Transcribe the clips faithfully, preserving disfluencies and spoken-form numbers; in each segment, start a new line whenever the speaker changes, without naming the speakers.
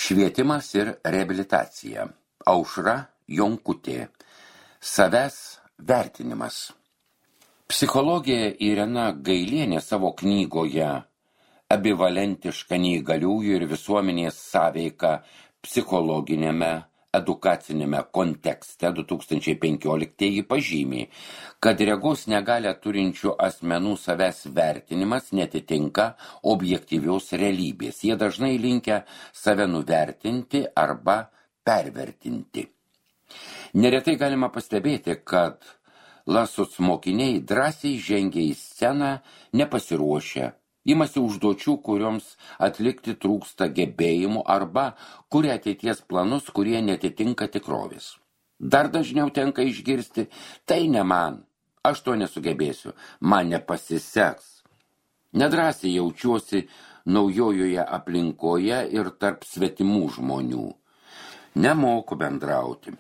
Švietimas ir reabilitacija. Aušra Jonkutė. Savęs vertinimas. Psichologė Irena Gailienė savo knygoje Ambivalentiška neįgaliųjų ir visuomenės sąveika psichologinėme edukacinėme kontekste du tūkstančiai penkioliktieji pažymi, kad regos negalią turinčių asmenų savęs vertinimas netitinka objektyvios realybės. Jie dažnai linkę save nuvertinti arba pervertinti. Neretai galima pastebėti, kad lasus mokiniai drąsiai žengia į sceną nepasiruošę, imasi užduočių, kurioms atlikti trūksta gebėjimų arba kuria ateities planus, kurie netitinka tikrovės. Dar dažniau tenka išgirsti, tai ne man, aš to nesugebėsiu, man nepasiseks. Nedrąsiai jaučiuosi naujojoje aplinkoje ir tarp svetimų žmonių. Nemoku bendrauti.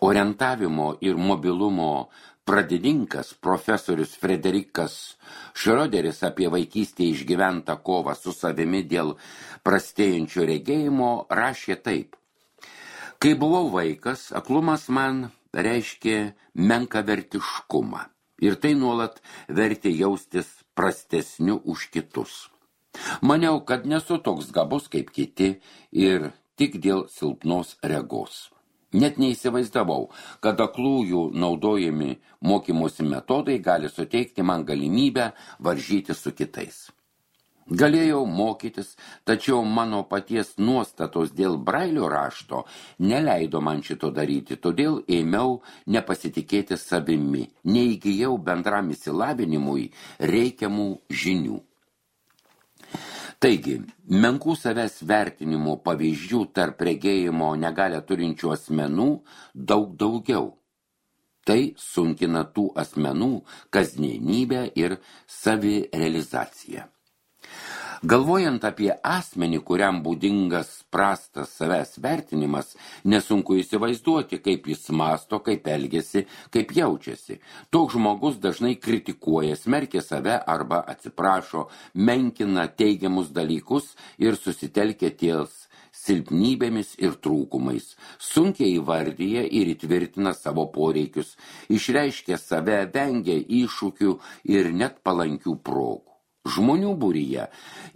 Orientavimo ir mobilumo pradininkas profesorius Frederikas Šrioderis apie vaikystėje išgyventą kovą su savimi dėl prastėjančio regėjimo rašė taip. Kai buvau vaikas, aklumas man reiškė menkavertiškumą ir tai nuolat vertė jaustis prastesniu už kitus. Maniau, kad nesu toks gabus kaip kiti ir tik dėl silpnos regos. Net neįsivaizdavau, kad aklųjų naudojami mokymosi metodai gali suteikti man galimybę varžyti su kitais. Galėjau mokytis, tačiau mano paties nuostatos dėl Brailio rašto neleido man šito daryti, todėl ėmiau nepasitikėti savimi, neįgijau bendram išsilavinimui reikiamų žinių. Taigi, menkų savęs vertinimo pavyzdžių tarp regėjimo negalią turinčių asmenų daug daugiau. Tai sunkina tų asmenų kasdienybę ir savirealizaciją. Galvojant apie asmenį, kuriam būdingas prastas savęs vertinimas, nesunku įsivaizduoti, kaip jis mąsto, kaip elgiasi, kaip jaučiasi. Toks žmogus dažnai kritikuoja, smerkia save arba atsiprašo, menkina teigiamus dalykus ir susitelkia ties silpnybėmis ir trūkumais, sunkiai įvardyja ir įtvirtina savo poreikius, išreiškia save, vengia iššūkių ir net palankių progų. Žmonių būryje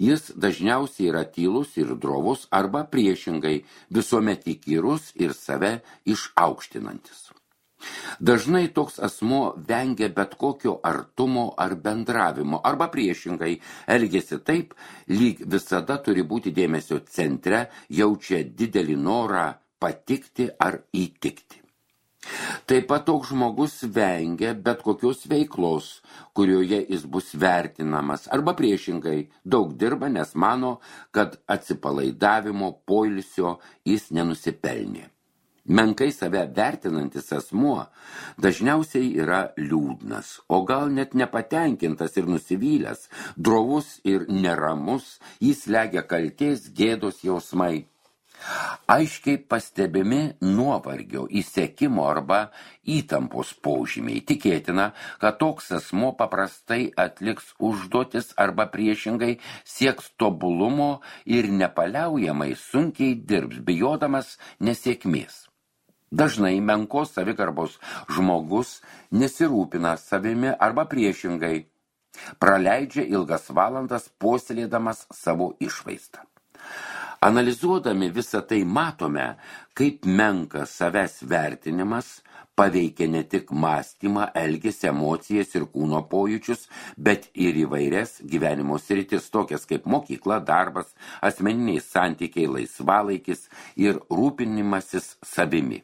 jis dažniausiai yra tylus ir drovus arba priešingai visuomet įkyrus ir save išaukštinantis. Dažnai toks asmuo vengia bet kokio artumo ar bendravimo arba priešingai elgiasi taip, lyg visada turi būti dėmesio centre, jaučia didelį norą patikti ar įtikti. Taip pat toks žmogus vengia bet kokios veiklos, kurioje jis bus vertinamas, arba priešingai daug dirba, nes mano, kad atsipalaidavimo, poilsio jis nenusipelnė. Menkai save vertinantis asmuo dažniausiai yra liūdnas, o gal net nepatenkintas ir nusivylęs, drovus ir neramus, jis slegia kaltės, gėdos jausmai. Aiškiai pastebimi nuovargio, įsekimo arba įtampos požymiai. Tikėtina, kad toks asmuo paprastai atliks užduotis arba priešingai sieks tobulumo ir nepaliaujamai sunkiai dirbs, bijodamas nesėkmės. Dažnai menkos savigarbos žmogus nesirūpina savimi arba priešingai praleidžia ilgas valandas puoselėdamas savo išvaizdą. Analizuodami visą tai matome, kaip menkas savęs vertinimas paveikia ne tik mąstymą, elgesį, emocijas ir kūno pojūčius, bet ir įvairias gyvenimo sritis, tokias kaip mokykla, darbas, asmeniniai santykiai, laisvalaikis ir rūpinimasis savimi.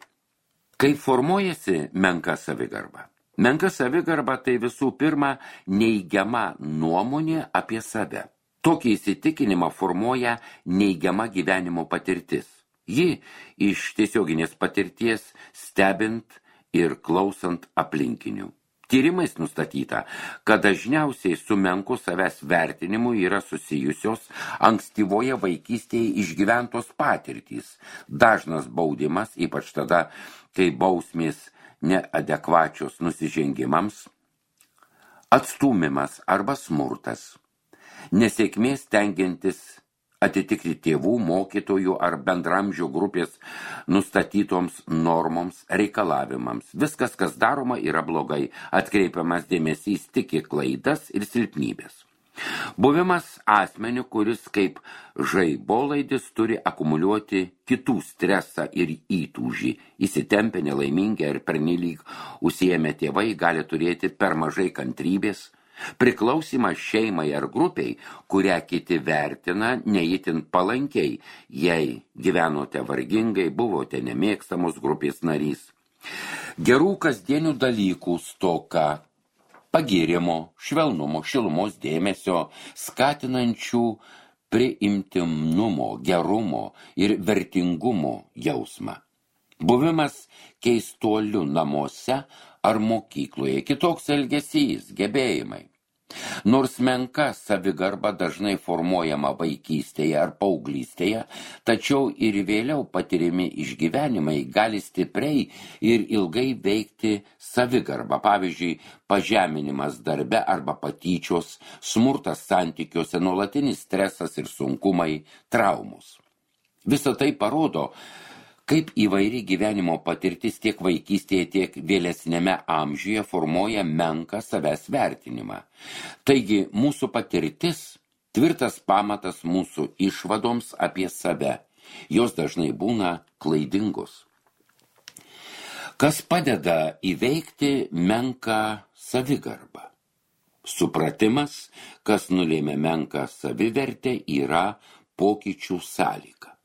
Kaip formuojasi menka savigarba? Menka savigarba tai visų pirma neigiama nuomonė apie save. Tokį įsitikinimą formuoja neigiama gyvenimo patirtis. Ji iš tiesioginės patirties stebint ir klausant aplinkinių. Tyrimais nustatyta, kad dažniausiai su menku savęs vertinimu yra susijusios ankstyvoje vaikystėje išgyventos patirtys, dažnas baudimas, ypač tada, kai bausmės neadekvačios nusižengimams, atstūmimas arba smurtas. Nesėkmės stengiantis atitikti tėvų, mokytojų ar bendramžių grupės nustatytoms normoms, reikalavimams. Viskas, kas daroma, yra blogai, atkreipiamas dėmesys tik į klaidas ir silpnybės. Buvimas asmeniu, kuris kaip žaibolaidis turi akumuliuoti kitų stresą ir įtūžį, įsitempę, nelaimingi ar pernelyg užsiėmę tėvai gali turėti per mažai kantrybės, priklausimas šeimai ar grupiai, kurią kiti vertina neįtin palankiai, jei gyvenote vargingai, buvote nemėgstamos grupės narys. Gerų kasdienių dalykų stoka, pagyrimo, švelnumo, šilumos, dėmesio, skatinančių priimtinumo, gerumo ir vertingumo jausmą. Buvimas keistuoliu namuose ar mokykloje, kitoks elgesys, gebėjimai. Nors menka savigarba dažnai formuojama vaikystėje ar paauglystėje, tačiau ir vėliau patiriami išgyvenimai gali stipriai ir ilgai veikti savigarbą, pavyzdžiui, pažeminimas darbe arba patyčios, smurtas santykiuose, nuolatinis stresas ir sunkumai, traumos. Visa tai parodo, kaip įvairi gyvenimo patirtis tiek vaikystėje, tiek vėlesnėme amžiuje formuoja menką savęs vertinimą. Taigi, mūsų patirtis tvirtas pamatas mūsų išvadoms apie save. Jos dažnai būna klaidingos. Kas padeda įveikti menką savigarbą? Supratimas, kas nulėmė menką savivertę, yra pokyčių sąlyga.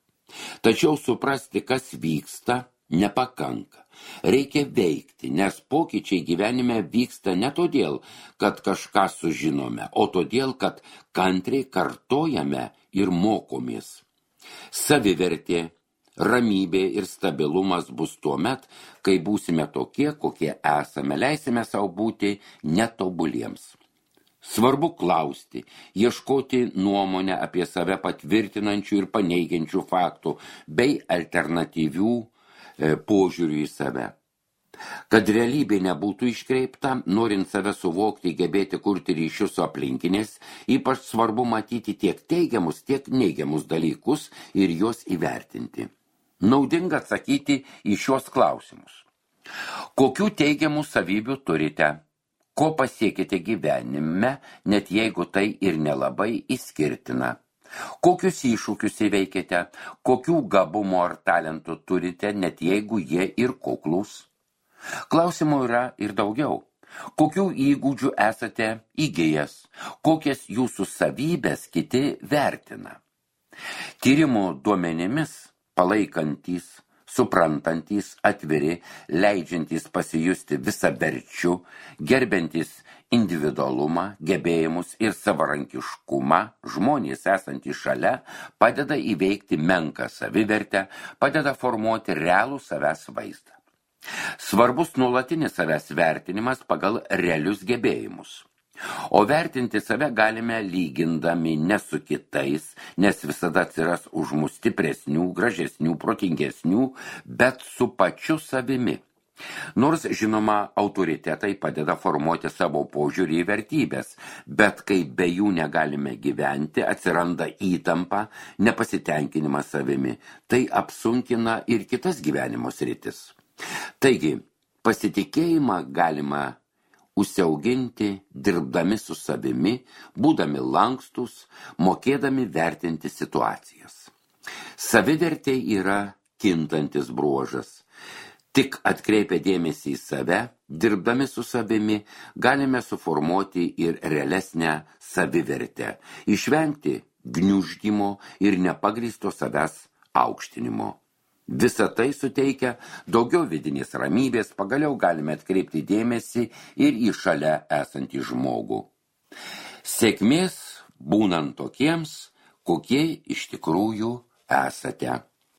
Tačiau suprasti, kas vyksta, nepakanka. Reikia veikti, nes pokyčiai gyvenime vyksta ne todėl, kad kažką sužinome, o todėl, kad kantriai kartojame ir mokomės. Savivertė, ramybė ir stabilumas bus tuomet, kai būsime tokie, kokie esame, leisime savo būti netobuliems. Svarbu klausti, ieškoti nuomonę apie save patvirtinančių ir paneigiančių faktų bei alternatyvių e, požiūrių į save. Kad realybė nebūtų iškreipta, norint save suvokti, gebėti kurti ryšius su aplinkiniais, ypač svarbu matyti tiek teigiamus, tiek neigiamus dalykus ir juos įvertinti. Naudinga atsakyti į šios klausimus. Kokių teigiamų savybių turite? Ko pasiekite gyvenime, net jeigu tai ir nelabai išskirtina? Kokius iššūkius įveikėte? Kokių gabumų ar talentų turite, net jeigu jie ir kuklūs? Klausimų yra ir daugiau. Kokių įgūdžių esate įgijęs? Kokias jūsų savybės kiti vertina? Tyrimų duomenimis palaikantys, suprantantys, atviri, leidžiantys pasijusti visaverčiu, gerbiantys individualumą, gebėjimus ir savarankiškumą, žmonės esantys šalia, padeda įveikti menką savivertę, padeda formuoti realų savęs vaizdą. Svarbus nuolatinis savęs vertinimas pagal realius gebėjimus. O vertinti save galime lygindami ne su kitais, nes visada atsiras už mus stipresnių, gražesnių, protingesnių, bet su pačiu savimi. Nors, žinoma, autoritetai padeda formuoti savo požiūrį į vertybės, bet kai be jų negalime gyventi, atsiranda įtampa, nepasitenkinimas savimi. Tai apsunkina ir kitas gyvenimo sritis. Taigi, pasitikėjimą galima užsiauginti, dirbdami su savimi, būdami lankstus, mokėdami vertinti situacijas. Savivertė yra kintantis bruožas. Tik atkreipę dėmesį į save, dirbdami su savimi, galime suformuoti ir realesnę savivertę, išvengti gniuždymo ir nepagrįsto savęs aukštinimo. Visa tai suteikia daugiau vidinės ramybės, pagaliau galime atkreipti dėmesį ir į šalia esantį žmogų. Sėkmės būnant tokiems, kokie iš tikrųjų esate.